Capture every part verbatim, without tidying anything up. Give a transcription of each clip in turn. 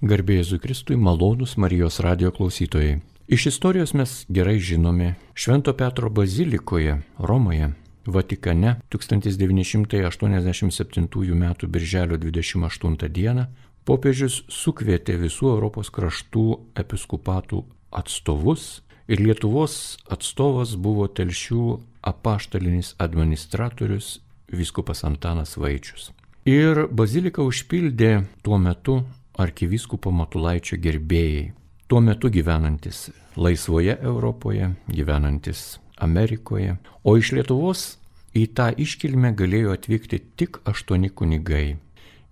Garbė Jėzui Kristui, malonūs Marijos radijo klausytojai. Iš istorijos mes gerai žinome, Švento Petro bazilikoje Romoje, Vatikane tūkstantis devyni šimtai aštuoniasdešimt septintųjų metų birželio dvidešimt aštuntą dieną popiežius sukvietė visų Europos kraštų episkopatų atstovus ir Lietuvos atstovas buvo Telšių apaštalinis administratorius vyskupas Antanas Vaičius. Ir baziliką užpildė tuo metu arkivyskupo Matulaičio gerbėjai, tuo metu gyvenantis laisvoje Europoje, gyvenantis Amerikoje, o iš Lietuvos į tą iškilmę galėjo atvykti tik aštuoni kunigai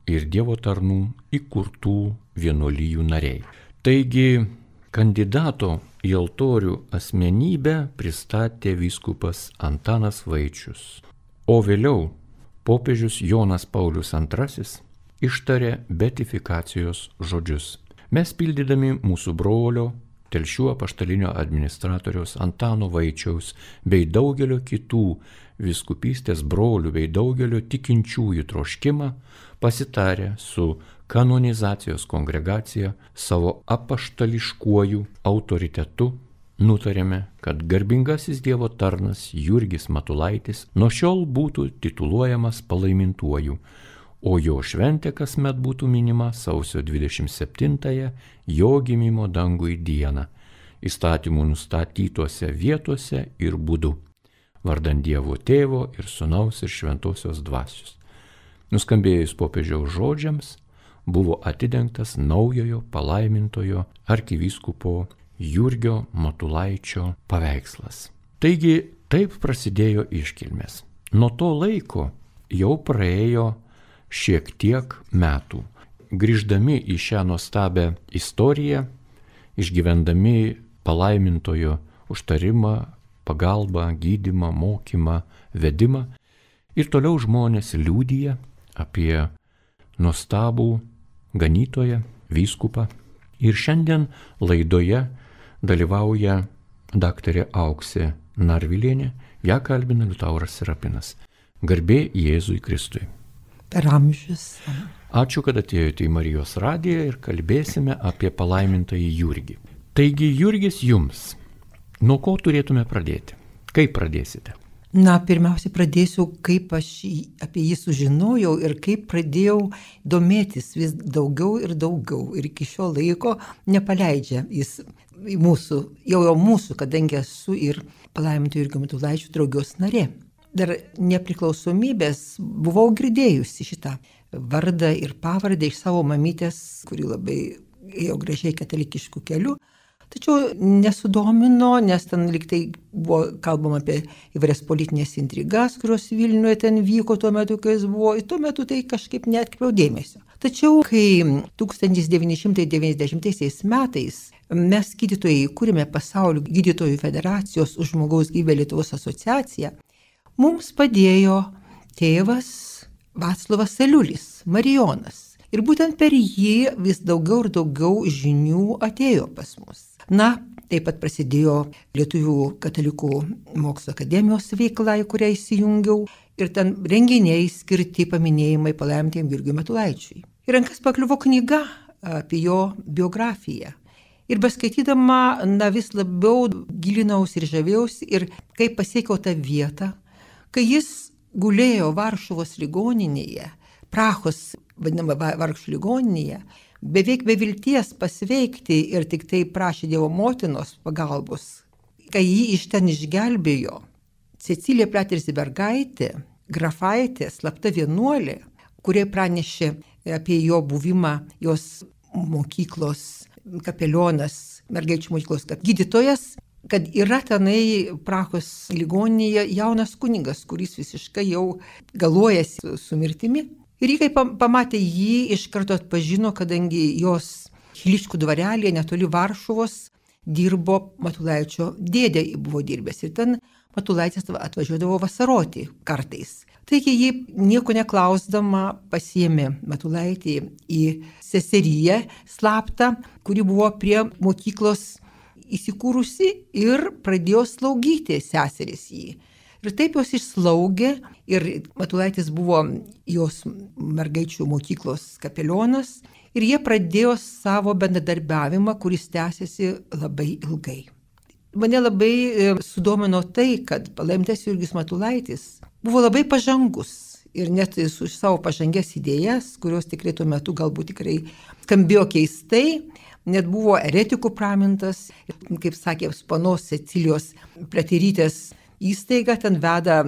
ir Dievo tarnų įkurtų vienuolijų nariai. Taigi kandidato į altorių asmenybę pristatė vyskupas Antanas Vaičius, o vėliau popiežius Jonas Paulius antrasis ištarė beatifikacijos žodžius. Mes pildydami mūsų brolio, Telšių apaštalinio administratoriaus Antano Vaičiaus bei daugelio kitų vyskupystės brolių bei daugelio tikinčiųjų troškimą, pasitarę su kanonizacijos kongregacija savo apaštališkuoju autoritetu, nutarėme, kad garbingasis Dievo tarnas Jurgis Matulaitis nuo šiol būtų tituluojamas palaimintuoju, o jo šventė kasmet būtų minima sausio dvidešimt septintąją jo gimimo dangui dieną, įstatymų nustatytose vietose ir būdu, vardan Dievo Tėvo ir Sūnaus ir Šventosios Dvasios. Nuskambėjus popiežiaus žodžiams, buvo atidengtas naujojo palaimintojo arkivyskupo Jurgio Matulaičio paveikslas. Taigi taip prasidėjo iškilmės. Nuo to laiko jau praėjo šiek tiek metų. Grįždami į šią nuostabią istoriją, išgyvendami palaimintojo užtarimą, pagalbą, gydymą, mokymą, vedimą, ir toliau žmonės liudija apie nuostabų ganytoją, vyskupą. Ir šiandien laidoje dalyvauja daktarė Auksė Narvilienė, ją kalbina Liutauras Serapinas. Garbė Jėzui Kristui. Per amžius. Ačiū, kad atėjote į Marijos radiją ir kalbėsime apie palaimintąjį Jurgį. Taigi, Jurgis jums. Nuo ko turėtume pradėti? Kaip pradėsite? Na, pirmiausia, pradėsiu, kaip aš apie jį sužinojau ir kaip pradėjau domėtis vis daugiau ir daugiau. Ir iki šio laiko nepaleidžia jis mūsų, jau jau mūsų, kadangi esu ir palaiminto Jurgio Matulaičio draugijos narė. Dar nepriklausomybės buvau girdėjusi šitą vardą ir pavardę iš savo mamytės, kuri labai ėjo gražiai katalikiškų kelių. Tačiau nesudomino, nes ten liktai buvo kalbama apie įvairias politinės intrigas, kurios Vilniuje ten vyko tuo metu, kai jis buvo. Ir tuo metu tai kažkaip neatkreipiau dėmesio. Tačiau, kai tūkstantis devyni šimtai devyniasdešimtaisiais metais mes gydytojai įkūrėme Pasaulio gydytojų federacijos už žmogaus gyvybę Lietuvos asociaciją, mums padėjo tėvas Vaclovas Aliulis, Marijonas. Ir būtent per jį vis daugiau ir daugiau žinių atėjo pas mus. Na, taip pat prasidėjo Lietuvių katalikų mokslo akademijos veikla, į kurią įsijungiau, ir ten renginiai skirti paminėjimai palaimintiem Jurgiui Matulaičiui. Ir rankas pakliuvo knyga apie jo biografiją. Ir beskaitydama, na, vis labiau gilinausi ir žavėjausi, ir kai pasiekiau tą vietą, kai jis gulėjo Varšuvos ligoninėje, Prahos vadinama vargšų ligoninėje, beveik be vilties pasveikti ir tik tai prašė Dievo motinos pagalbos, kai jį iš ten išgelbėjo Cecilija Pliateris-Bergaitė, grafaitė, slapta vienuolė, kurie pranešė apie jo buvimą, jos mokyklos kapelionas, mergaičių mokyklos gydytojas, kad yra tenai Prahos ligoninėje jaunas kunigas, kuris visiškai jau galuojasi su mirtimi. Ir jį, kai pamatė jį, iš karto atpažino, kadangi jos Chiliškų dvarelėje netoli Varšuvos dirbo Matulaičio dėdė, buvo dirbęs. Ir ten Matulaitis atvažiuodavo vasaroti kartais. Taigi jį nieko neklausdama pasiėmė Matulaitį į seseriją slaptą, kuri buvo prie mokyklos įsikūrusi, ir pradėjo slaugyti seseris jį. Ir taip jos išslaugė ir Matulaitis buvo jos mergaičių mokyklos kapelionas ir jie pradėjo savo bendradarbiavimą, kuris tęsiasi labai ilgai. Mane labai sudomino tai, kad palaimintas Jurgis Matulaitis buvo labai pažangus ir net su savo pažangės idėjas, kurios tikrai tuo metu galbūt tikrai skambėjo keistai, net buvo eretikų pramintas, kaip sakė panos Cecilijos Pliaterytės įstaiga, ten veda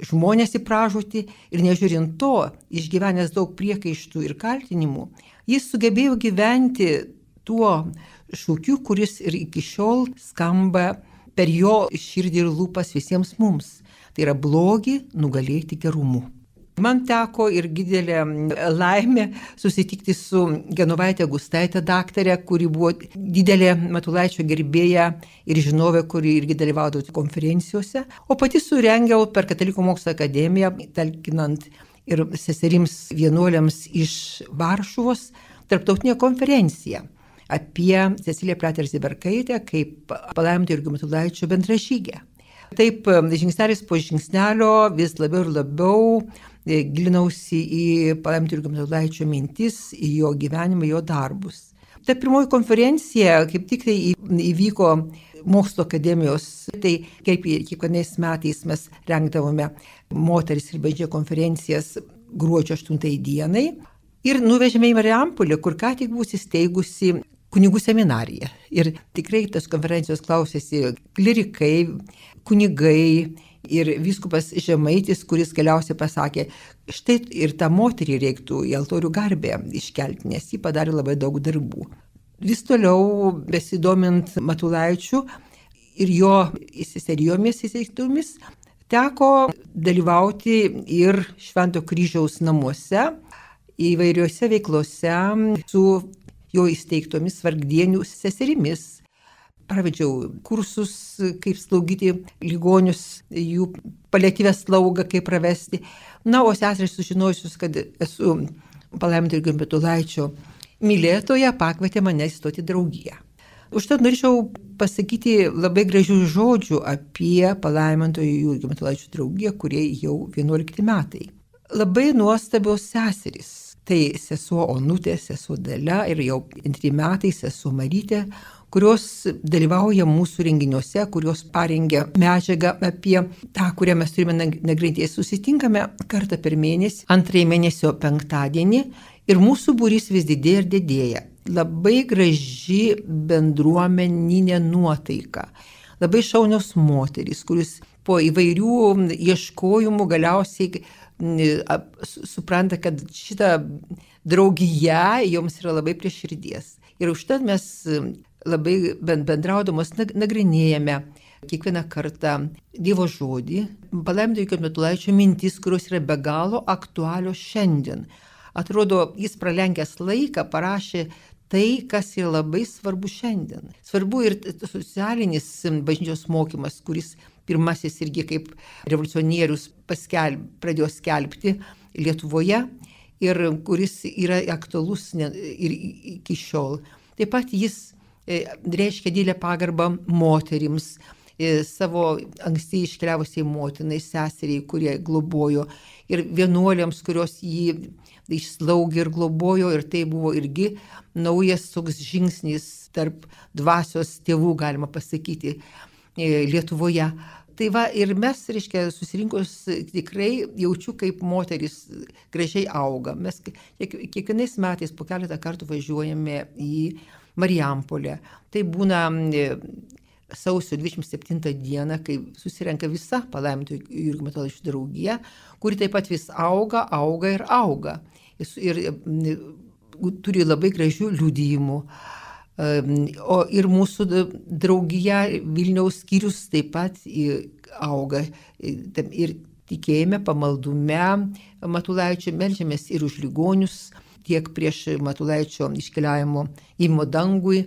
žmonės į pražūtį ir nežiūrint to, išgyvenęs daug priekaištų ir kaltinimų, jis sugebėjo gyventi tuo šūkiu, kuris ir iki šiol skamba per jo širdį ir lūpas visiems mums. Tai yra blogį nugalėti gerumu. Man teko ir didelė laimė susitikti su Genovaite Gustaite daktarė, kuri buvo didelė Matulaičio gerbėja ir žinovė, kuri irgi dalyvaudavo konferencijose. O pati surengiau per Katalikų mokslo akademiją, talkinant ir seserims vienuoliams iš Varšuvos, tarptautinę konferenciją apie Ceciliją Pliaterytę kaip palaiminto Jurgio Matulaičio bendražygę. Taip, žingsnelis po žingsnelio vis labiau ir labiau gilinausi į palaiminto Jurgio Matulaičio mintis, į jo gyvenimą, jo darbus. Ta pirmoji konferencija kaip tik tai įvyko mokslo akademijos, tai kaip kiekvienais metais mes rengdavome moteris ir bažnyčia konferencijas gruodžio aštuntai dienai ir nuvežėme į Marijampolę, kur ką tik buvo įsteigusi kunigų seminarija. Ir tikrai tas konferencijos klausėsi klerikai, kunigai ir vyskupas Žemaitis, kuris galiausiai pasakė, štai ir tą moterį reiktų į altorių garbę iškelti, nes jį padarė labai daug darbų. Vis toliau besidomint Matulaičiu ir jo seserijomis įsteigtomis, teko dalyvauti ir Švento kryžiaus namuose, įvairiuose veiklose su jo įsteigtomis vargdienių seserimis. Pravedžiau kursus, kaip slaugyti ligonius, jų paliatyvę slaugą, kaip pravesti. Na, o seserys sužinojusius, kad esu palaiminto Jurgio Matulaičio mylėtoja, pakvietė mane įstoti draugiją. Užtat norėčiau pasakyti labai gražių žodžių apie palaiminto Jurgio Matulaičio draugiją, kurie jau vienuolikti metai. Labai nuostabios seserys. Tai sesuo Onutė, sesuo Dalia ir jau antri metai sesuo Marytė, kurios dalyvauja mūsų renginiuose, kurios parengia medžiagą apie tą, kurią mes turime nagrinėti. Susitinkame kartą per mėnesį, antrąjį mėnesio penktadienį ir mūsų būrys vis didėja ir didėja. Labai graži bendruomeninė nuotaika, labai šaunios moterys, kuris po įvairių ieškojimų galiausiai supranta, kad šita draugija joms yra labai prie širdies. Ir užtat mes labai bendraudamos nagrinėjame kiekvieną kartą Dievo žodį, palaiminto Jurgio Matulaičio mintis, kurios yra be galo aktualios šiandien. Atrodo, jis pralenkęs laiką parašė tai, kas yra labai svarbu šiandien. Svarbu ir socialinis bažnyčios mokymas, kuris pirmasis irgi kaip revoliucionierius paskelb, pradėjo skelbti Lietuvoje ir kuris yra aktualus ir iki šiol. Taip pat jis reiškia didelę pagarbą moterims, savo anksti iškeliavusiai motinai, seseriai, kurie globojo, ir vienuoliams, kurios jį išslaugė ir globojo, ir tai buvo irgi naujas toks žingsnis tarp dvasios tėvų, galima pasakyti, Lietuvoje. Tai va, ir mes, reiškia, susirinkus tikrai jaučiu, kaip moteris gražiai auga. Mes kiekvienais metais po keletą kartų važiuojame į Marijampolę. Tai būna sausio dvidešimt septintą dieną, kai susirenka visa palaiminto Jurgio Matulaičio draugija, kuri taip pat vis auga, auga ir auga. Ir, ir turi labai gražių liudijimų. O ir mūsų draugija Vilniaus skyrius taip pat auga ir tikėjime, pamaldume Matulaičio, meldžiamės ir už ligonius, tiek prieš Matulaičio iškeliavimo įmo dangui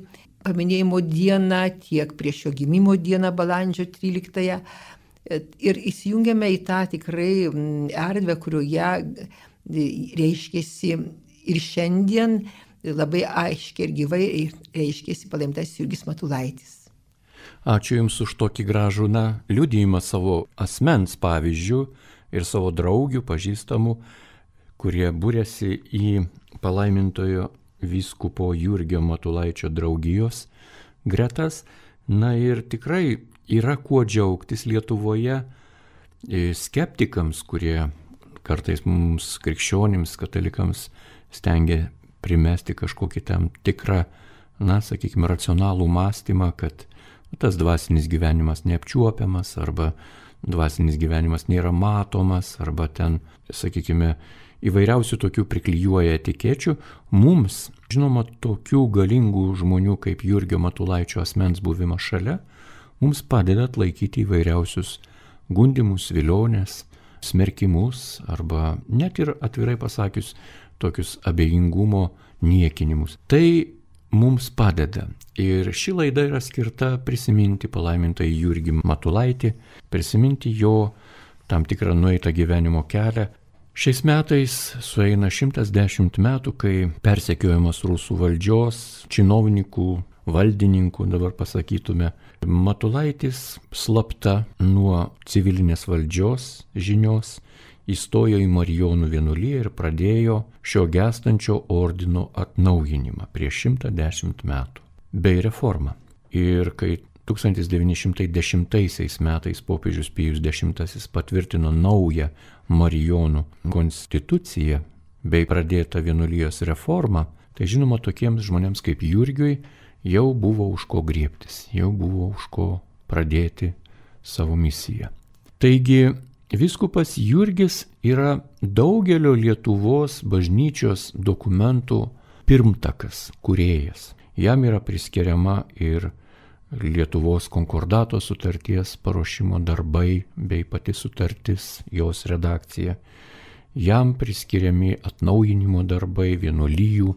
paminėjimo dieną, tiek prieš jo gimimo dieną balandžio tryliktąją. Ir įsijungiame į tą tikrai erdvę, kurioje reiškėsi ir šiandien labai aiškiai ir gyvai reiškėsi palaimintasis Jurgis Matulaitis. Ačiū Jums už tokį gražų, na, liudijimą savo asmens pavyzdžių ir savo draugių, pažįstamų, kurie būrėsi į palaimintojo vyskupo Jurgio Matulaičio draugijos gretas. Na ir tikrai yra kuo džiaugtis Lietuvoje skeptikams, kurie kartais mums krikščionims, katalikams stengia primesti kažkokį tam tikrą, na, sakykime, racionalų mąstymą, kad tas dvasinis gyvenimas neapčiuopiamas, arba dvasinis gyvenimas nėra matomas, arba ten, sakykime, įvairiausių tokių priklijuoja etikečių. Mums, žinoma, tokių galingų žmonių kaip Jurgio Matulaičio asmens buvimas šalia, mums padeda atlaikyti įvairiausius gundimus, vilionės, smerkimus, arba net ir atvirai pasakius tokius abejingumo niekinimus. Tai mums padeda. Ir ši laida yra skirta prisiminti palaimintąjį Jurgį Matulaitį, prisiminti jo tam tikrą nueitą gyvenimo kelią. Šiais metais sueina šimtas dešimt metų, kai persekiojamas rusų valdžios, činovnikų, valdininkų, dabar pasakytume, Matulaitis slapta nuo civilinės valdžios žinios įstojo į Marijonų vienuoliją ir pradėjo šio gęstančio ordino atnaujinimą prieš šimtą dešimt metų, bei reformą. Ir kai tūkstantis devyni šimtai dešimtaisiais metais popiežius Pijus dešimtasis patvirtino naują Marijonų konstituciją bei pradėtą vienuolijos reformą, tai žinoma, tokiems žmonėms kaip Jurgiui jau buvo už ko griebtis, jau buvo už ko pradėti savo misiją. Taigi, vyskupas Jurgis yra daugelio Lietuvos bažnyčios dokumentų pirmtakas, kūrėjas. Jam yra priskiriama ir Lietuvos konkordato sutarties paruošimo darbai bei pati sutartis, jos redakcija. Jam priskiriami atnaujinimo darbai vienuolijų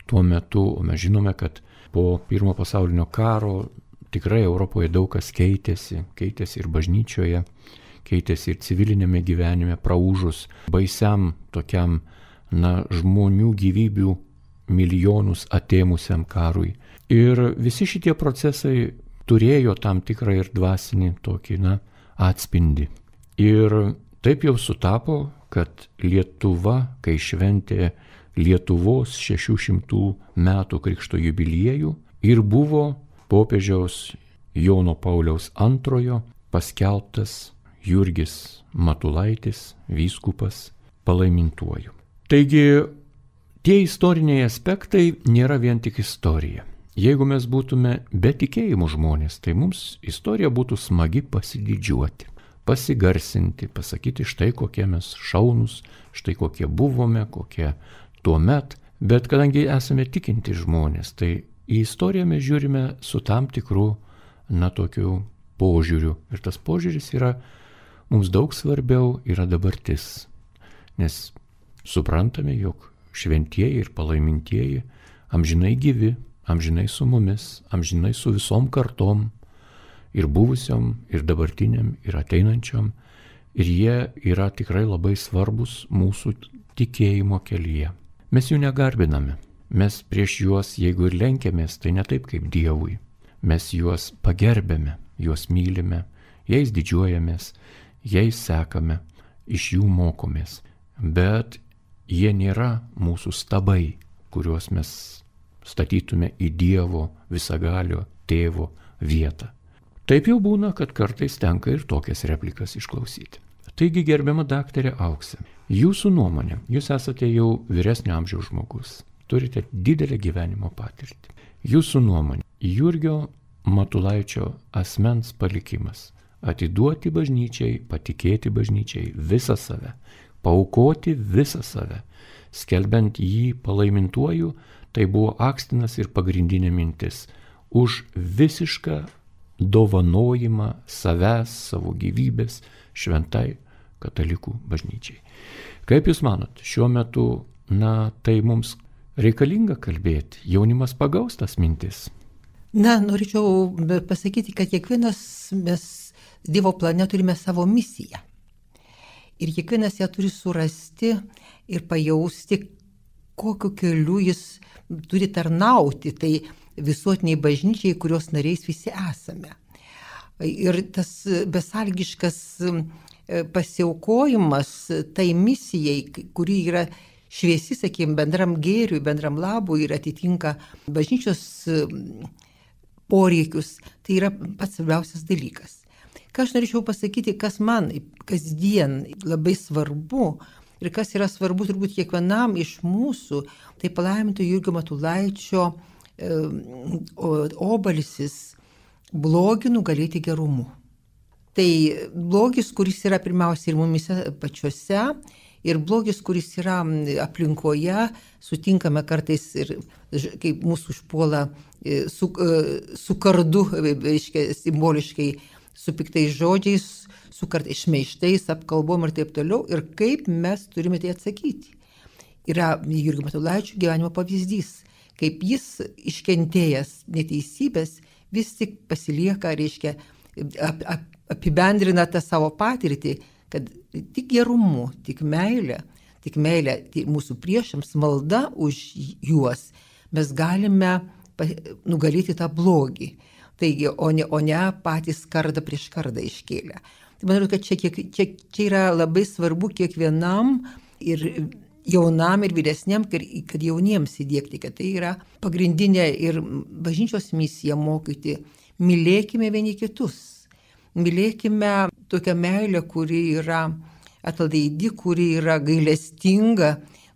tuo metu, o mes žinome, kad po pirmo pasaulinio karo tikrai Europoje daug kas keitėsi, keitėsi ir bažnyčioje, keitėsi ir civilinėme gyvenime, praūžus baisiam tokiam, na, žmonių gyvybių milijonus atėmusiam karui. Ir visi šitie procesai turėjo tam tikrą ir dvasinį tokį, na, atspindį. Ir taip jau sutapo, kad Lietuva, kai šventė Lietuvos šešių šimtų metų krikšto jubiliejų, ir buvo popiežiaus Jono Pauliaus antrojo paskelbtas Jurgis Matulaitis, vyskupas, palaimintuoju. Taigi, tie istoriniai aspektai nėra vien tik istorija. Jeigu mes būtume be tikėjimų žmonės, tai mums istorija būtų smagi pasididžiuoti, pasigarsinti, pasakyti štai kokie mes šaunus, štai kokie buvome, kokie tuo met. Bet kadangi esame tikinti žmonės, tai į istoriją mes žiūrime su tam tikru, na, tokiu požiūriu. Ir tas požiūris yra mums daug svarbiau, yra dabartis. Nes suprantame, jog šventieji ir palaimintieji amžinai gyvi, amžinai su mumis, amžinai su visom kartom, ir buvusiom, ir dabartiniam, ir ateinančiom. Ir jie yra tikrai labai svarbus mūsų tikėjimo kelyje. Mes jų negarbiname. Mes prieš juos, jeigu ir lenkiamės, tai ne taip kaip Dievui. Mes juos pagerbėme, juos mylime, jais didžiuojamės, jais sekame, iš jų mokomės. Bet jie nėra mūsų stabai, kuriuos mes statytume į Dievo visagalio tėvo vietą. Taip jau būna, kad kartais tenka ir tokias replikas išklausyti. Taigi, gerbiama daktarė Auksė, jūsų nuomonė, jūs esate jau vyresnio amžiaus žmogus, turite didelę gyvenimo patirtį. Jūsų nuomonė, Jurgio Matulaičio asmens palikimas - atiduoti bažnyčiai, patikėti bažnyčiai visą save, paaukoti visą save, skelbiant jį palaimintuoju, tai buvo akstinas ir pagrindinė mintis už visišką dovanojimą savęs, savo gyvybės šventai katalikų bažnyčiai. Kaip Jūs manot, šiuo metu, na, tai mums reikalinga kalbėti, jaunimas pagaus tas mintis? Na, norėčiau pasakyti, kad kiekvienas mes Dievo plane turime savo misiją. Ir kiekvienas ją turi surasti ir pajausti, kokiu keliu jis turi tarnauti, tai visuotiniai bažnyčiai, kurios nariais visi esame. Ir tas besalgiškas pasiaukojimas tai misijai, kuri yra šviesi, sakykime, bendram gėriui, bendram labui ir atitinka bažnyčios poreikius, tai yra pats svarbiausias dalykas. Ką aš norėčiau pasakyti, kas man kasdien labai svarbu ir kas yra svarbu turbūt kiekvienam iš mūsų, tai palaiminto Jurgio Matulaičio e, obalsis blogį nugalėti gerumu. Tai blogis, kuris yra pirmiausia ir mumise pačiuose, ir blogis, kuris yra aplinkoje, sutinkame kartais ir kaip mūsų užpuola su, su kardu, reiškia, simboliškai, su piktais žodžiais, su kartais šmeištais, apkalbom ir taip toliau, ir kaip mes turime tai atsakyti. Yra Jurgio Matulaičio gyvenimo pavyzdys, kaip jis iškentėjęs neteisybės vis tik pasilieka, reiškia, ap, ap, apibendrina tą savo patirtį, kad tik gerumu, tik meilė, tik meilė mūsų priešams, malda už juos, mes galime nugalėti tą blogį. Taigi, o ne, o ne patys kardą prieš kardą iškėlę. Tai manau, kad čia, kiek, čia, čia yra labai svarbu kiekvienam ir jaunam ir vyresniam, kad jauniems įdiegti, kad tai yra pagrindinė ir bažnyčios misija mokyti. Mylėkime vieni kitus. Mylėkime tokią meilę, kuri yra atlaidi, kuri yra gailestinga,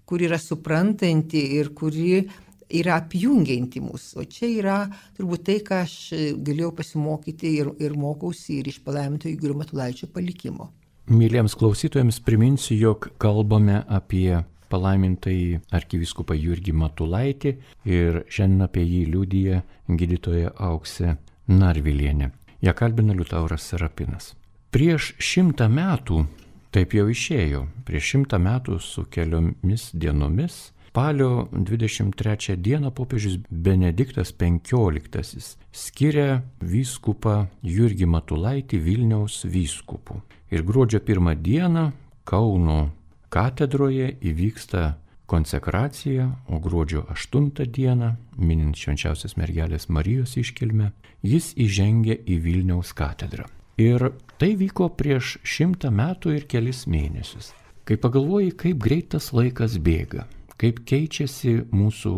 kuri yra suprantanti ir kuri yra apjungianti mus. O čia yra turbūt tai, ką aš galėjau pasimokyti ir, ir mokausi ir iš palaiminto Jurgio Matulaičio palikimo. Myliems klausytojams priminsiu, jog kalbame apie palaimintąjį arkivyskupą Jurgį Matulaitį ir šiandien apie jį liudija gydytoja Auksė Narvilienė. Ja kalbina Liutauras Serapinas. Prieš šimtą metų, taip jau išėjo, prieš šimtą metų su keliomis dienomis, spalio dvidešimt trečią dieną popiežius Benediktas penkioliktasis skiria vyskupą Jurgį Matulaitį Vilniaus vyskupu. Ir gruodžio pirmą dieną Kauno katedroje įvyksta konsekracija, o gruodžio aštuntą dieną, minint Švenčiausios mergelės Marijos iškilmę, jis įžengia į Vilniaus katedrą. Ir tai vyko prieš šimtą metų ir kelis mėnesius. Kai pagalvoji, kaip greit tas laikas bėga, kaip keičiasi mūsų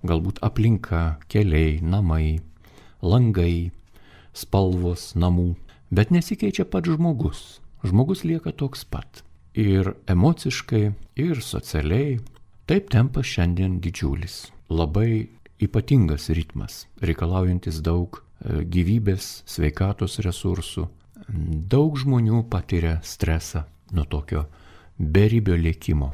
galbūt aplinka, keliai, namai, langai, spalvos namų, bet nesikeičia pats žmogus. Žmogus lieka toks pat. Ir emociškai, ir socialiai. Taip tempas šiandien didžiulis. Labai ypatingas ritmas, reikalaujantis daug gyvybės, sveikatos resursų. Daug žmonių patiria stresą nuo tokio beribio lėkimo.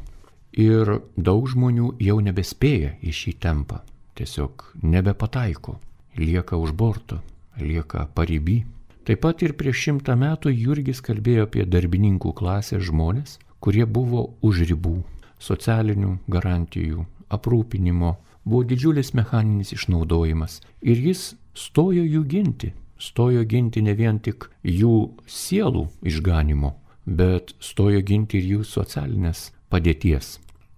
Ir daug žmonių jau nebespėja į šį tempą. Tiesiog nebepataiko, lieka už borto, lieka pariby. Taip pat ir prieš šimtą metų Jurgis kalbėjo apie darbininkų klasės žmonės, kurie buvo už ribų, socialinių garantijų, aprūpinimo, buvo didžiulis mechaninis išnaudojimas. Ir jis stojo jų ginti, stojo ginti ne vien tik jų sielų išganimo, bet stojo ginti ir jų socialinės padėties.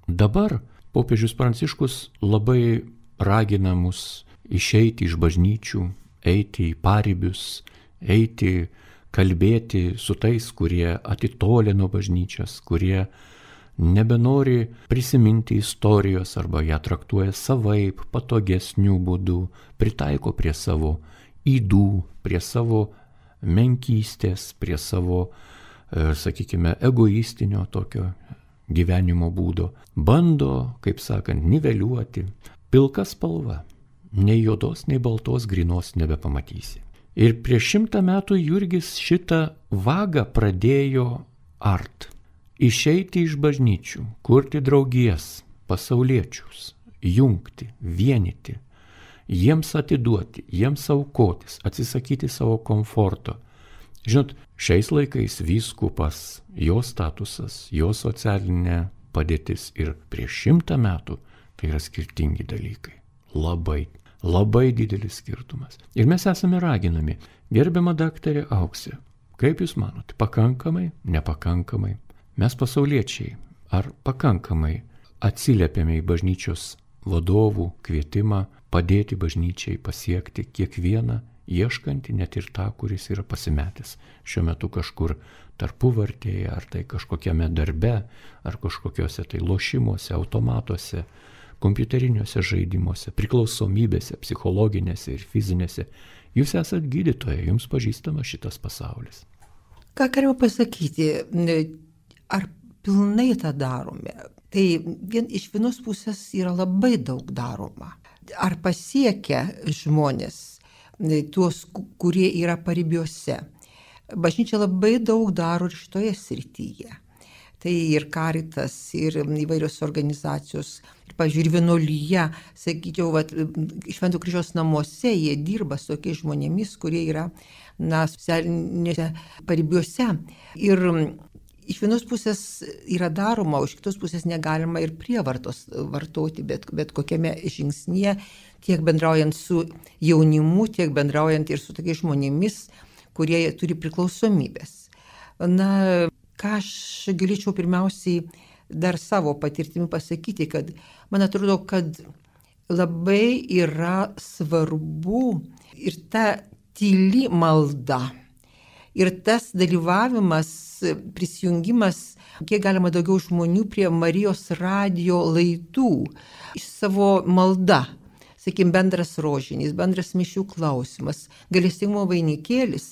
Dabar popiežius Pranciškus labai ragina mus išeiti iš bažnyčių, eiti į paribius, eiti, kalbėti su tais, kurie atitolė nuo bažnyčios, kurie nebenori prisiminti istorijos arba ją traktuoja savaip, patogesnių būdų, pritaiko prie savo ydų, prie savo menkystės, prie savo, sakykime, egoistinio tokio gyvenimo būdo. Bando, kaip sakant, niveliuoti. Pilka spalva, nei juodos, nei baltos grynos nebepamatysi. Ir prieš šimtą metų Jurgis šitą vagą pradėjo art. Išeiti iš bažnyčių, kurti draugijas, pasauliečius, jungti, vienyti, jiems atiduoti, jiems aukotis, atsisakyti savo komforto. Žinot, šiais laikais vyskupas, jo statusas, jo socialinė padėtis ir prieš šimtą metų tai yra skirtingi dalykai. Labai. Labai didelis skirtumas. Ir mes esame raginami, gerbiama daktarė Auksė, kaip jūs manote, pakankamai, nepakankamai, mes pasauliečiai, ar pakankamai atsiliepiame į bažnyčios vadovų kvietimą padėti bažnyčiai pasiekti kiekvieną ieškantį net ir tą, kuris yra pasimetęs šiuo metu kažkur tarpuvartėje, ar tai kažkokiame darbe, ar kažkokiuose tai lošimuose, automatuose, kompiuteriniuose žaidimuose, priklausomybėse, psichologinėse ir fizinėse. Jūs esat gydytoja, jums pažįstama šitas pasaulis. Ką galima pasakyti, ar pilnai tą darome? Tai vien, iš vienos pusės yra labai daug daroma. Ar pasiekia žmonės, tuos, kurie yra paribiuose? Bažnyčia labai daug daro ir šitoje srityje. Tai ir Caritas, ir įvairios organizacijos, ir, pavyzdžiui, ir vienuolyje, sakyčiau, vat, Švento Kryžiaus namuose jie dirba su tokiais žmonėmis, kurie yra, na, socialinėse paribiuose. Ir iš vienos pusės yra daroma, o iš kitos pusės negalima ir prievartos vartoti, bet, bet kokiame žingsnyje, tiek bendraujant su jaunimu, tiek bendraujant ir su tokiais žmonėmis, kurie turi priklausomybės. Na, ką aš galėčiau pirmiausiai dar savo patirtimi pasakyti, kad man atrodo, kad labai yra svarbu ir ta tyli malda, ir tas dalyvavimas, prisijungimas, kiek galima daugiau žmonių prie Marijos radijo laidų, iš savo malda, sakykime, bendras rožinis, bendras mišių klausimas, gailestingumo vainikėlis.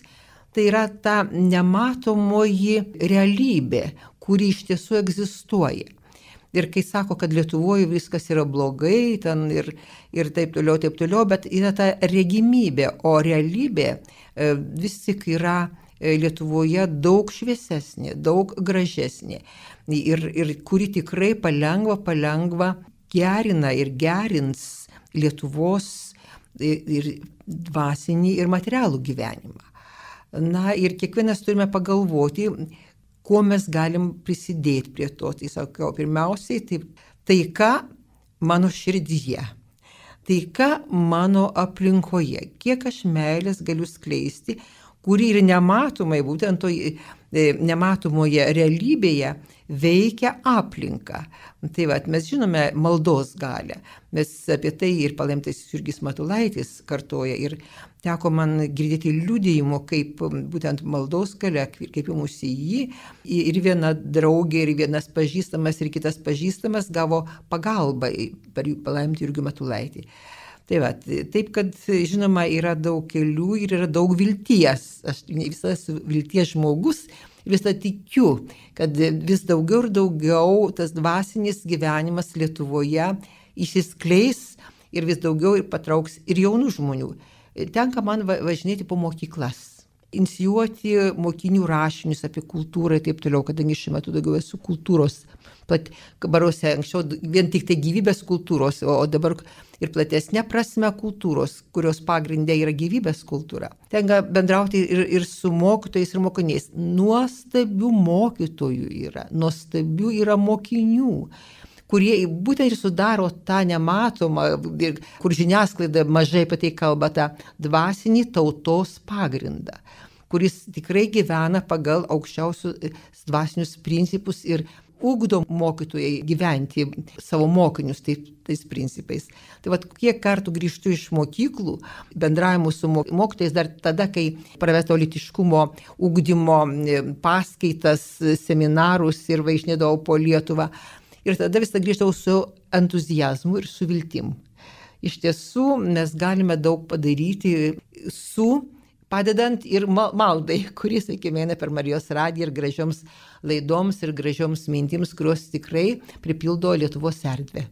Tai yra ta nematomoji realybė, kuri iš tiesų egzistuoja. Ir kai sako, kad Lietuvoje viskas yra blogai, ten ir, ir taip toliau, taip toliau, bet yra ta regimybė, o realybė e, vis tik yra Lietuvoje daug šviesesnė, daug gražesnė. Ir, ir kuri tikrai palengva, palengva gerina ir gerins Lietuvos ir, ir dvasinį ir materialų gyvenimą. Na ir kiekvienas turime pagalvoti, kuo mes galim prisidėti prie to. Tai sakiau, pirmiausiai, tai taika mano širdyje, taika mano aplinkoje, kiek aš meilės galiu skleisti, kuri ir nematomai, būtent toje nematomoje realybėje veikia aplinką. Tai va, mes žinome maldos galią. Mes apie tai ir palaimintasis Jurgis Matulaitis kartoja ir teko man girdėti liudijimo, kaip būtent maldos galia, kreipimusi į jį. Ir viena draugė, ir vienas pažįstamas, ir kitas pažįstamas gavo pagalbą per palaimintą Jurgį Matulaitį. Tai va, taip, kad žinoma yra daug kelių ir yra daug vilties. Aš visas vilties žmogus. Visą tikiu, kad vis daugiau ir daugiau tas dvasinis gyvenimas Lietuvoje išsiskleis ir vis daugiau ir patrauks ir jaunų žmonių. Tenka man važinėti po mokyklas, inicijuoti mokinių rašinius apie kultūrą ir taip toliau, kadangi šiuo metu daugiau esu kultūros, pat baruose anksčiau vien tik tai gyvybės kultūros, o dabar ir platesnė prasme kultūros, kurios pagrindė yra gyvybės kultūra. Tenka bendrauti ir, ir su mokytojais ir mokiniais. Nuostabių mokytojų yra, nuostabių yra mokinių, kurie būtent ir sudaro tą nematomą, kur žiniasklaida mažai apie tai kalba, tą dvasinį tautos pagrindą, kuris tikrai gyvena pagal aukščiausius dvasinius principus ir ugdo mokytojai gyventi savo mokinius taip, tais principais. Tai vat, kiek kartų grįžtu iš mokyklų, bendravimų su mokytojais dar tada, kai pravesto lytiškumo ugdymo paskaitas, seminarus ir važinėdavau po Lietuvą. Ir tada visą grįžtau su entuzijazmu ir su viltim. Iš tiesų, mes galime daug padaryti su padedant ir maldai, kuris, sakykime, eina per Marijos radiją ir gražioms laidoms ir gražioms mintims, kurios tikrai pripildo Lietuvos erdvę.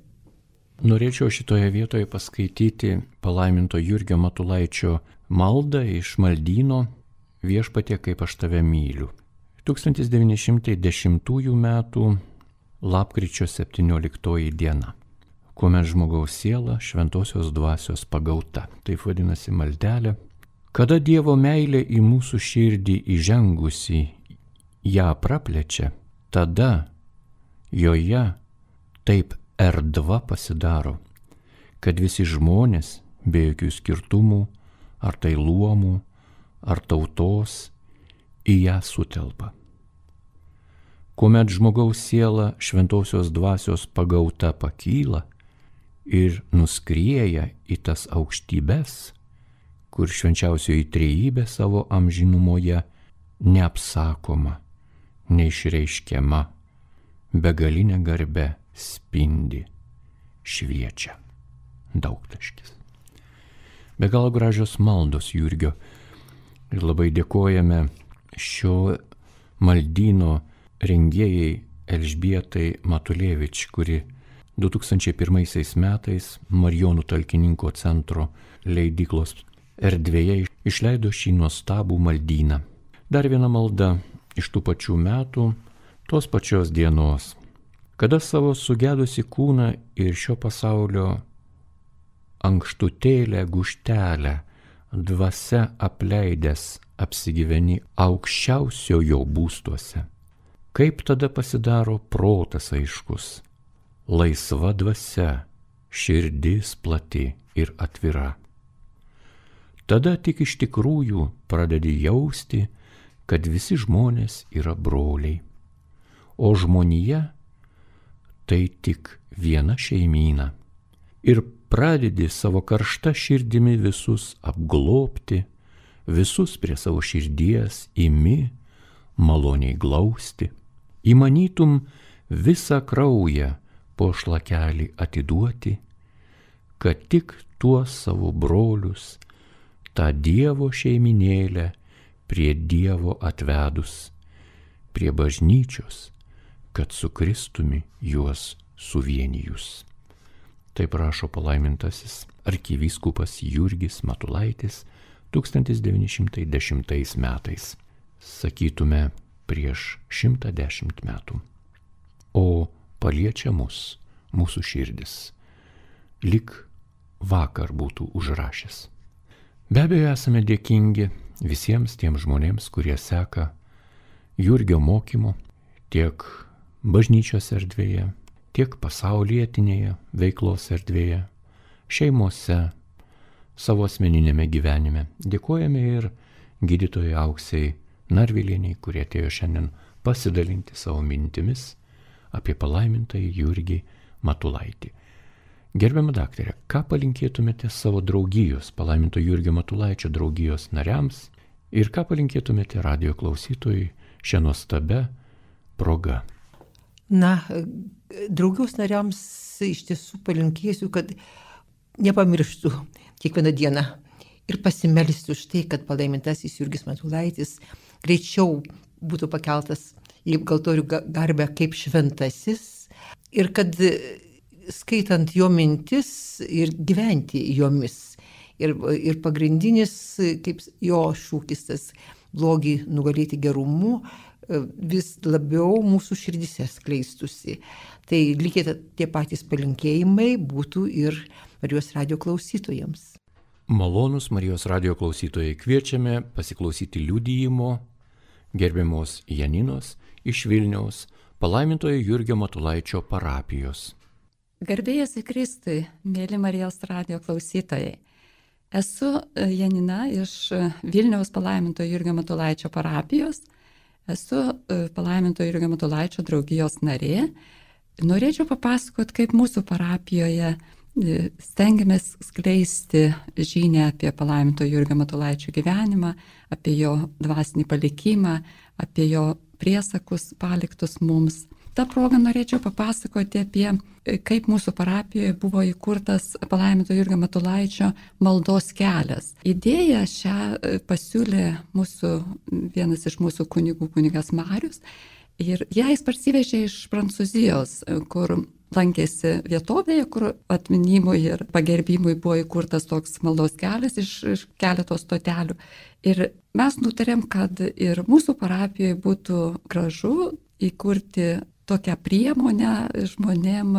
Norėčiau šitoje vietoje paskaityti palaiminto Jurgio Matulaičio maldą iš maldyno Viešpatie, kaip aš tave myliu. tūkstantis devyni šimtai dešimtųjų metų lapkričio septynioliktoji diena, kuomet žmogaus siela šventosios dvasios pagauta. Taip vadinasi maldelė. Kada Dievo meilė į mūsų širdį įžengusi ją praplečia, tada joje taip erdva pasidaro, kad visi žmonės be jokių skirtumų, ar tai luomų, ar tautos, į ją sutelpa. Kuomet žmogaus siela šventosios dvasios pagauta pakyla ir nuskrieja į tas aukštybes, kur švenčiausioji trejybė savo amžinumoje neapsakoma, neišreiškiama, begalinė garbė spindi, šviečia. Daugtaškis. Be galo gražios maldos Jurgio ir labai dėkojame šio maldyno rengėjai Elžbietai Matulevič, kuri du tūkstančiai pirmaisiais metais Marijonų talkininko centro leidyklos erdvėje išleido šį nuostabų maldyną. Dar viena malda iš tų pačių metų, tos pačios dienos, kada savo sugedusi kūną ir šio pasaulio ankštutėlę guštelę dvasia apleidęs apsigyveni aukščiausiojo būstuose. Kaip tada pasidaro protas aiškus, laisva dvasia, širdis plati ir atvira. Tada tik iš tikrųjų pradedi jausti, kad visi žmonės yra broliai, o žmonija tai tik viena šeimyna. Ir pradedi savo karšta širdimi visus apglobti, visus prie savo širdies imi maloniai glausti. Įmanytum visą kraują po šlakelį atiduoti, kad tik tuos savo brolius, tą Dievo šeiminėlę prie Dievo atvedus, prie bažnyčios, kad su Kristumi juos suvienijus. Taip rašo palaimintasis arkivyskupas Jurgis Matulaitis tūkstantis devyni šimtai dešimtais metais. Sakytume, prieš šimtą dešimt metų. O paliečia mus, mūsų širdis, lyg vakar būtų užrašęs. Be abejo, esame dėkingi visiems tiems žmonėms, kurie seka Jurgio mokymu tiek bažnyčios erdvėje, tiek pasaulietinėje veiklos erdvėje, šeimose, savo asmeninėme gyvenime. Dėkojame ir gydytojai Auksei Narvilieniai, kurie atėjo šiandien pasidalinti savo mintimis apie palaimintąjį Jurgį Matulaitį. Gerbiama daktarė, ką palinkėtumėte savo draugijos, palaiminto Jurgio Matulaičio draugijos nariams ir ką palinkėtumėte radijo klausytojui šią nuostabę progą? Na, draugijos nariams iš tiesų palinkėsiu, kad nepamirštų kiekvieną dieną ir pasimelsti už tai, kad palaimintasis Jurgis Matulaitis greičiau būtų pakeltas į galtorių garbę kaip šventasis ir kad skaitant jo mintis ir gyventi jomis. Ir, ir pagrindinis, kaip jo šūkis, tas blogį nugalėti gerumu, vis labiau mūsų širdise skleistusi. Tai lygiai tie patys palinkėjimai būtų ir Marijos radijo klausytojams. Malonus Marijos radijo klausytojai, kviečiame pasiklausyti liudijimo gerbiamos Janinos iš Vilniaus palaimintojo Jurgio Matulaičio parapijos. Garbėjas į Kristui, mėly Marijos radijo klausytojai. Esu Janina iš Vilniaus palaimintojo Jurgio Matulaičio parapijos. Esu palaimintojo Jurgio Matulaičio draugijos narė. Norėčiau papasakoti, kaip mūsų parapijoje stengiamės skleisti žinią apie palaiminto Jurgio Matulaičio gyvenimą, apie jo dvasinį palikimą, apie jo priesakus paliktus mums. Ta proga norėčiau papasakoti apie, kaip mūsų parapijoje buvo įkurtas palaiminto Jurgio Matulaičio maldos kelias. Idėją šią pasiūlė mūsų, vienas iš mūsų kunigų, kunigas Marius, ir ją jis parsivežė iš Prancūzijos, kur lankėsi vietovėje, kur atminimui ir pagerbimui buvo įkurtas toks maldos kelias iš, iš keletos stotelių. Ir mes nutarėm, kad ir mūsų parapijoje būtų gražu įkurti tokią priemonę žmonėm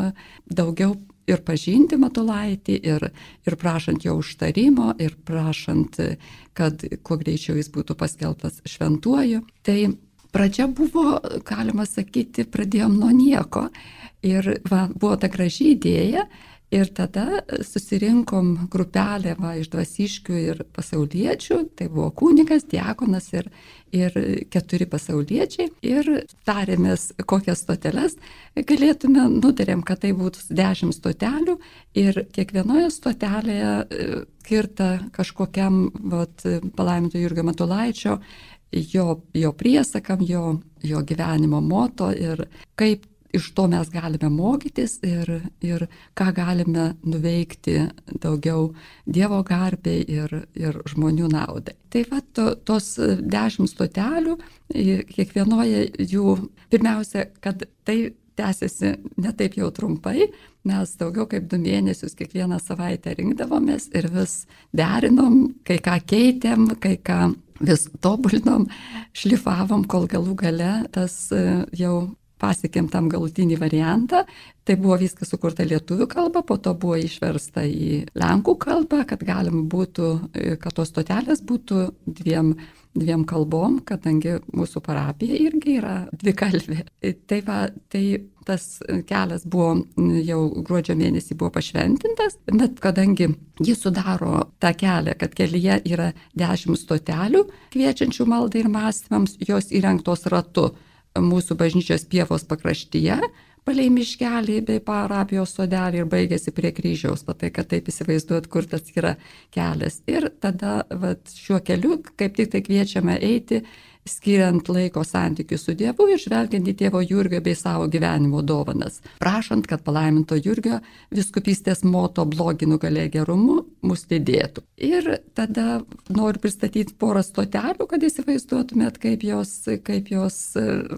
daugiau ir pažinti Matulaitį, ir, ir prašant jo užtarimo, ir prašant, kad kuo greičiau jis būtų paskelbtas šventuoju. Tai pradžia buvo, galima sakyti, pradėjom nuo nieko. Ir va, buvo ta graži idėja ir tada susirinkom grupelę va, iš dvasiškių ir pasauliečių, tai buvo kunigas, diakonas ir, ir keturi pasauliečiai ir tarėmės, kokias stoteles galėtume, nutarėm, kad tai būtų dešimt stotelių ir kiekvienoje stotelėje skirta kažkokiam vat, palaiminto Jurgio Matulaičio, jo, jo priesakam, jo, jo gyvenimo moto ir kaip iš to mes galime mokytis ir, ir ką galime nuveikti daugiau Dievo garbei ir, ir žmonių naudai. Tai va, to, tos dešimt stotelių, kiekvienoje jų, pirmiausia, kad tai tęsiasi ne taip jau trumpai, mes daugiau kaip du mėnesius kiekvieną savaitę rinkdavomės ir vis derinom, kai ką keitėm, kai ką vis tobulinom, šlifavom, kol galų gale tas jau pasiekėm tam galutinį variantą. Tai buvo viskas sukurta lietuvių kalba, po to buvo išversta į lenkų kalbą, kad galim būtų, kad tos stotelės būtų dviem, dviem kalbom, kadangi mūsų parapija irgi yra dvikalbė. Tai, va, tai tas kelias buvo jau gruodžio mėnesį buvo pašventintas, bet kadangi jis sudaro tą kelią, kad kelyje yra dešimt stotelių kviečiančių maldai ir mąstymams, jos įrengtos ratu mūsų bažnyčios pievos pakraštyje, palei miškelį bei parapijos sodelį ir baigėsi prie kryžiaus, patai, kad taip įsivaizduot, kur tas yra kelias. Ir tada vat, šiuo keliu kaip tik tai kviečiame eiti, skiriant laiko santykių su Dievu ir žvelgiant į tėvo Jurgio bei savo gyvenimo dovanas, prašant, kad palaiminto Jurgio viskupystės moto blogį nugalė gerumu mus lydėtų. Ir tada noriu pristatyti porą stotelių, kad įsivaizduotumėt, kaip jos, kaip jos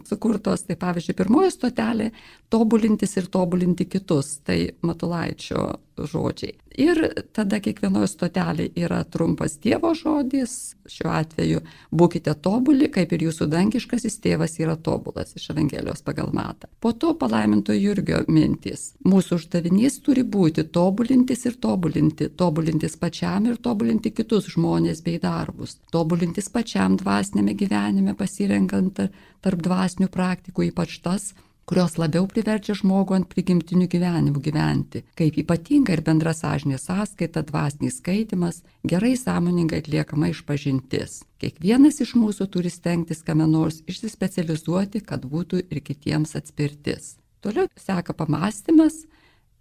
sukurtos. Tai pavyzdžiui, pirmoji stotelė - tobulintis ir tobulinti kitus, tai Matulaičio žodžiai. Ir tada kiekvienoje stotelėje yra trumpas Dievo žodis, šiuo atveju būkite tobuli, kaip ir jūsų dangiškasis tėvas yra tobulas, iš Evangelijos pagal Matą. Po to palaiminto Jurgio mintis. Mūsų uždavinys turi būti tobulintis ir tobulinti, tobulintis pačiam ir tobulinti kitus žmonės bei darbus, tobulintis pačiam dvasinėme gyvenime, pasirenkant tarp dvasinių praktikų, ypač tas, kurios labiau priverčia žmogų ant prigimtinių gyvenimų gyventi, kaip ypatinga ir bendra sąžinės sąskaita, dvasinis skaitimas, gerai sąmoningai atliekama išpažintis. Kiekvienas iš mūsų turi stengtis kame nors išsispecializuoti, kad būtų ir kitiems atspirtis. Toliau seka pamąstymas.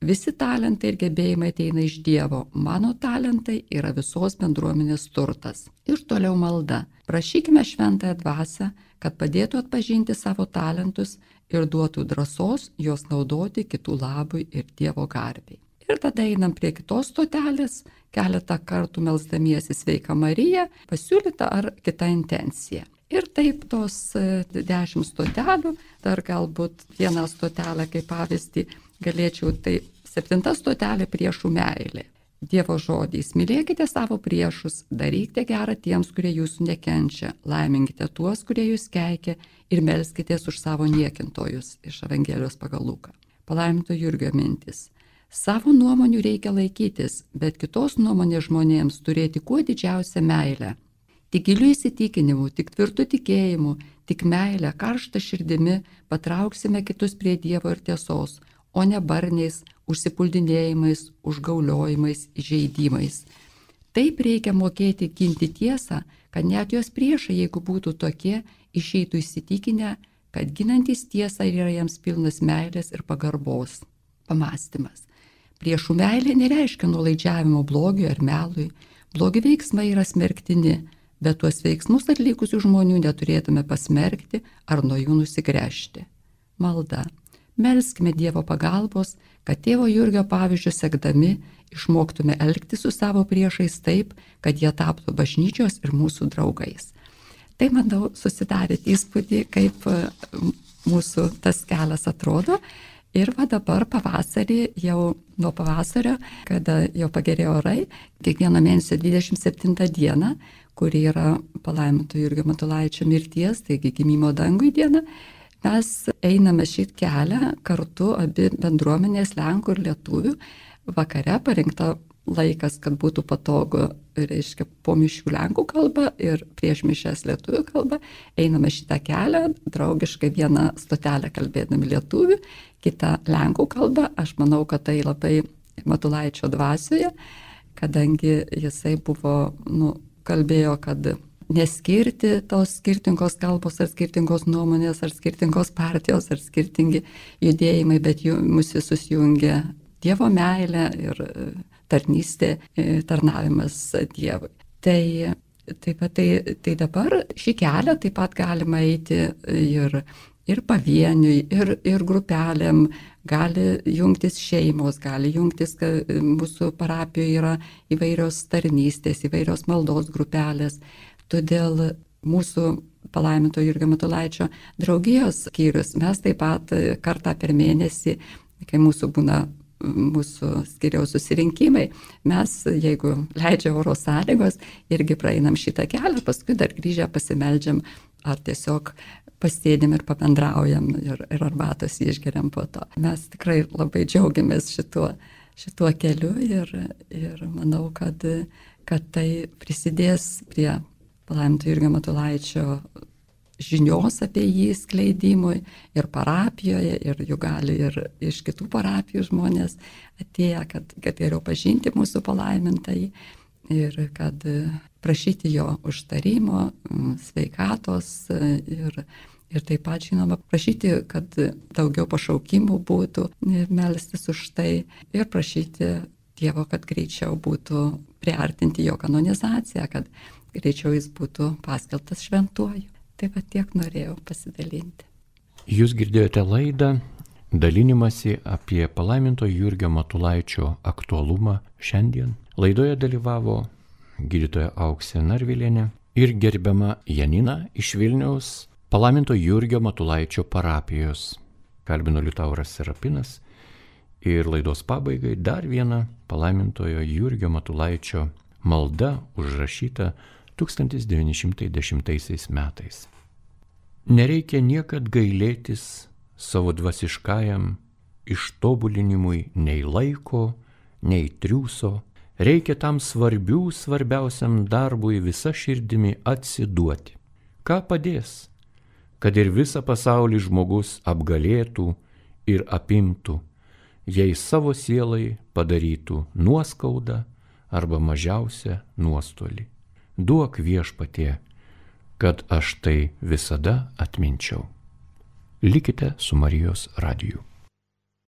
Visi talentai ir gebėjimai ateina iš Dievo. Mano talentai yra visos bendruomenės turtas. Ir toliau malda. Prašykime šventąją dvasią, kad padėtų atpažinti savo talentus ir duotų drąsos juos naudoti kitų labui ir Dievo garbei. Ir tada einam prie kitos stotelės, keletą kartų melsdamiesi Sveika Marija, pasiūlyta ar kita intencija. Ir taip tos dešimt stotelių, dar galbūt vieną stotelę kaip pavyzdį galėčiau, tai septinta stotelė priešų meilė. Dievo žodys, mylėkite savo priešus, darykite gerą tiems, kurie jūsų nekenčia, laiminkite tuos, kurie jūs keikia ir melskitės už savo niekintojus, iš Evangelijos pagal Luką. Palaiminto Jurgio mintis. Savo nuomonių reikia laikytis, bet kitos nuomonės žmonėms turėti kuo didžiausią meilę. Tik giliu įsitikinimu, tik tvirtu tikėjimu, tik meilę, karštą širdimi patrauksime kitus prie Dievo ir tiesos, o ne barniais, užsipuldinėjimais, užgauliojimais, įžeidimais. Taip reikia mokėti ginti tiesą, kad net jos priešai, jeigu būtų tokie, išeitų įsitikinę, kad ginantis tiesą yra jiems pilnas meilės ir pagarbos. Pamąstymas. Priešų meilė nereiškia nuolaidžiavimo blogiui ar melui. Blogi veiksmai yra smerktini, bet tuos veiksmus atlikusių žmonių neturėtume pasmerkti ar nuo jų nusigręžti. Malda. Melskime Dievo pagalbos, kad tėvo Jurgio pavyzdžių sekdami išmoktume elgtis su savo priešais taip, kad jie taptų bažnyčios ir mūsų draugais. Tai, manau, susidarėt įspūdį, kaip mūsų tas kelias atrodo. Ir va dabar pavasarį, jau nuo pavasario, kada jau pagerėjo orai, kiekvieno mėnesio dvidešimt septintą dieną, kuri yra palaiminto Jurgio Matulaičio mirties, taigi gimimo dangui diena, mes einame šį kelią kartu, abi bendruomenės, lenkų ir lietuvių. Vakare parinkta laikas, kad būtų patogu, reiškia, po mišių lenkų kalba ir prieš mišes lietuvių kalba. Einame šitą kelią, draugiškai vieną stotelę kalbėdami lietuvių, kitą lenkų kalbą. Aš manau, kad tai labai Matulaičio dvasioje, kadangi jisai buvo, nu, kalbėjo, kad neskirti tos skirtingos kalbos ar skirtingos nuomonės ar skirtingos partijos ar skirtingi judėjimai, bet jų mus visus jungia Dievo meilė ir tarnystė, tarnavimas Dievui. Tai, taip pat, tai, tai dabar šį kelią taip pat galima eiti ir, ir pavieniui, ir, ir grupelėm, gali jungtis šeimos, gali jungtis, kad mūsų parapijoje yra įvairios tarnystės, įvairios maldos grupelės. Todėl mūsų palaiminto Jurgio Matulaičio draugijos skyrius, mes taip pat kartą per mėnesį, kai mūsų būna mūsų skyriaus susirinkimai, mes, jeigu leidžia oro sąlygos, irgi praeinam šitą kelią, paskui dar grįžę pasimeldžiam ar tiesiog pasėdim ir pabendraujam ir, ir arbatos išgeriam po to. Mes tikrai labai džiaugiamės šituo, šituo keliu ir, ir manau, kad, kad tai prisidės prie palaiminto Jurgio Matulaičio žinios apie jį skleidimui ir parapijoje, ir jų gali ir iš kitų parapijų žmonės atėję, kad, kad geriau pažinti mūsų palaimintąjį ir kad prašyti jo užtarimo, sveikatos ir, ir taip pat, žinoma, prašyti, kad daugiau pašaukimų būtų ir melstis už tai ir prašyti Dievo, kad greičiau būtų priartinti jo kanonizaciją, kad greičiau jis būtų paskelbtas šventuoju. Taip pat tiek norėjau pasidalinti. Jūs girdėjote laidą dalinimąsi apie palaiminto Jurgio Matulaičio aktualumą šiandien. Laidoje dalyvavo gydytoja Auksė Narvilienė ir gerbiama Janina iš Vilniaus palaiminto Jurgio Matulaičio parapijos. Kalbino Liutauras Serapinas ir laidos pabaigai dar viena palaimintojo Jurgio Matulaičio malda užrašyta tūkstantis devyni šimtai dešimtaisiais metais. Nereikia niekad gailėtis savo dvasiškajam ištobulinimui nei laiko, nei triūso, reikia tam svarbių svarbiausiam darbui visa širdimi atsiduoti. Ką padės, kad ir visą pasaulį žmogus apgalėtų ir apimtų, jei savo sielai padarytų nuoskaudą arba mažiausią nuostolį. Duok Viešpatie, kad aš tai visada atminčiau. Likite su Marijos radiju.